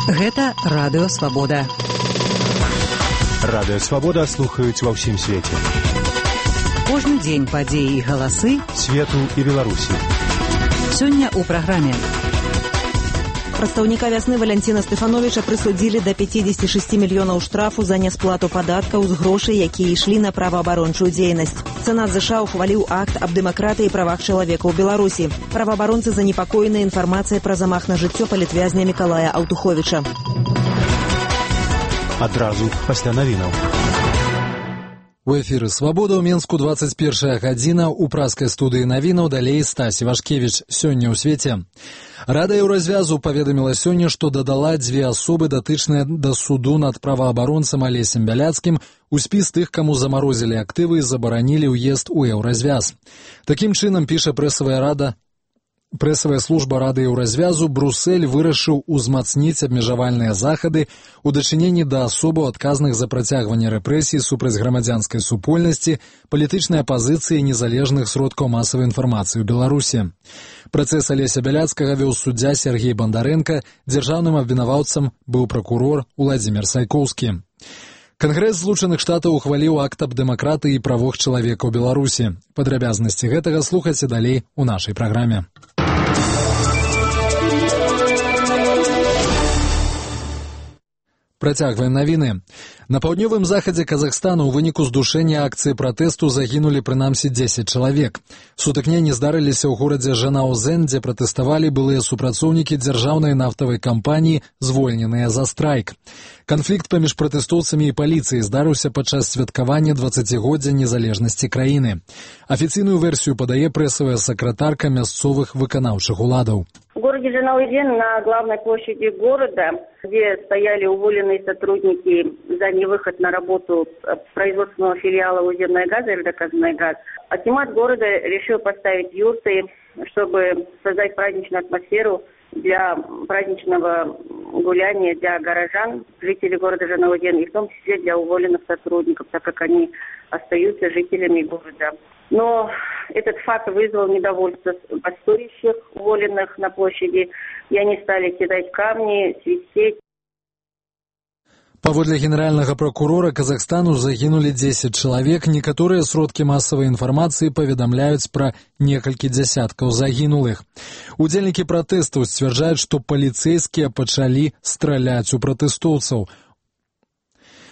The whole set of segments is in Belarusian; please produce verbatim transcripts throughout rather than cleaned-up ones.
Гэта Радыё Свабода. Радыё Свабода слухаюць ва ўсім свеце. Кожны дзень падзеі і галасы свету і Беларусі. Сёння ў праграме. Прадстаўніка вясны Валянціна Стэфановіча прысудзілі да пяцьдзесят шэсць мільёнаў штрафу за несплату падаткаў з грошай, якія ішлі на праваабарончую дзейнасць. Сенат ЗША ухваліў акт аб дэмакратыі і правах чалавека ў Беларусі. Праваабаронцы занепакоены інфармацыяй пра замах на жыццё палітвязня Мікалая Аўтуховіча. Адразу пасля навінаў. У эфіры «Свабода» ў Менску двадцать першая гадзіна, у праскай студыі навінаў далей Стась Івашкевіч. Сёння ў свеце. Рада Еўразвязу паведаміла сёння, што дадала дзве асобы, датычныя да суду над праваабаронцам Алесем Бяляцкім, у спіс тых, каму замарозілі актывы і забаранілі ўезд у Еўразвяз. Такім чынам, піша прэсавая рада, Прэсавая служба Рады Еўразвязу, Брусель вырашыў узмацніць абмежавальныя захады у дачыненні да асобаў, адказных за працягванне рэпрэсій супраць грамадзянскай супольнасці, палітычнай апазіцыі і незалежных сродкаў масавай інфармацыі ў Беларусі. Працэс Алеся Бяляцкага вёў суддзя Сергей Бандарэнка, дзяржаўным абвінаваўцам быў пракурор Уладзімір Сайкоўскі. Кангрэс Злучаных Штатаў ухваліў акт аб дэмакратыі і правах чалавека ў Беларусі. Падрабязнасці гэтага слухайце далей у нашай праграме. Працягваем навіны. На паўднёвым захадзе Казахстану ў выніку здушэння акцыі пратэсту загінулі прынамсі дзесяць чалавек. Сутыкненні здарыліся ў горадзе Жанаузен, дзе пратэставалі былыя супрацоўнікі дзяржаўнай нафтавай кампаніі, звольненыя за страйк. Канфлікт паміж пратэстоўцамі і паліцыяй здарыўся падчас святкавання дваццацігоддзя незалежнасці краіны. Афіцыйную версію падае прэсавая сакратарка мясцовых выканаўчых уладаў. В городе Жанаузен на главной площади города, где стояли уволенные сотрудники за невыход на работу производственного филиала «Уземная газа» или «Доказанная газ», акимат города решил поставить юрты, чтобы создать праздничную атмосферу для праздничного гуляния для горожан, жителей города Жанаузен, и в том числе для уволенных сотрудников, так как они остаются жителями города. Но этот факт вызвал недовольство бастующих, уволенных на площади, и они стали кидать камни, свистеть. Паводле генеральнага пракурора Казахстану загінулі дзесяць чалавек. Некаторыя сродкі масавай інфармацыі паведамляюць пра некалькі дзясяткаў загінулых. Удзельнікі пратэстаў сцвярджаюць, што паліцэйскія пачалі страляць у пратэстоўцаў.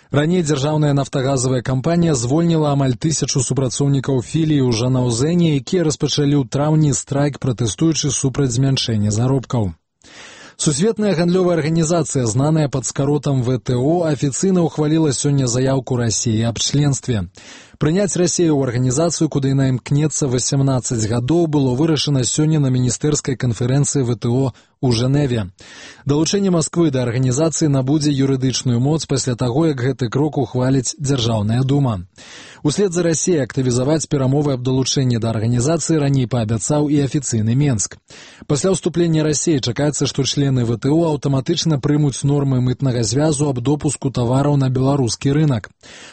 Раней дзяржаўная нафтагазавая кампанія звольніла амаль тысячу супрацоўнікаў філіі ў Жанаузене, якія распачалі ў траўні страйк, пратэстуючы супраць змяншэння заробкаў. Сусветная гандлёвая арганізацыя, знаная пад скаротам вэ тэ о, афіцыйна ўхваліла сёння заяўку Расіі аб членстве. Прыняць Расію ў арганізацыю, куды яна імкнецца васямнаццаць гадоў, было вырашана сёння на міністэрскай канферэнцыі вэ тэ о у Жэневе. Далучэнне Масквы да арганізацыі набудзе юрыдычную моц пасля таго, як гэты крок ухваліць Дзяржаўная дума. Услед за Расіяй актывізаваць перамовы аб далучэнні да арганізацыі раней паабяцаў і афіцыйны Менск. Пасля ўступлення Расіі чакаецца, што члены вэ тэ о аўтаматычна прымуць нормы мытнага звязу аб допуску тавараў на беларускі рынак.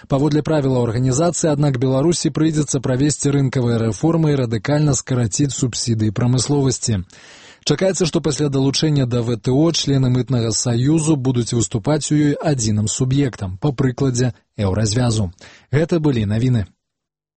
Паводле правілаў арганізацыі, аднак Беларусі прыйдзецца правесці рынкавыя рэформы і радыкальна скараціць субсідыі прамысловасці. Чакаецца, што пасля далучэння да вэ тэ о члены мытнага саюзу будуць выступаць у ёй адзіным суб'ектам, па прыкладзе Еўразвязу. Гэта былі навіны.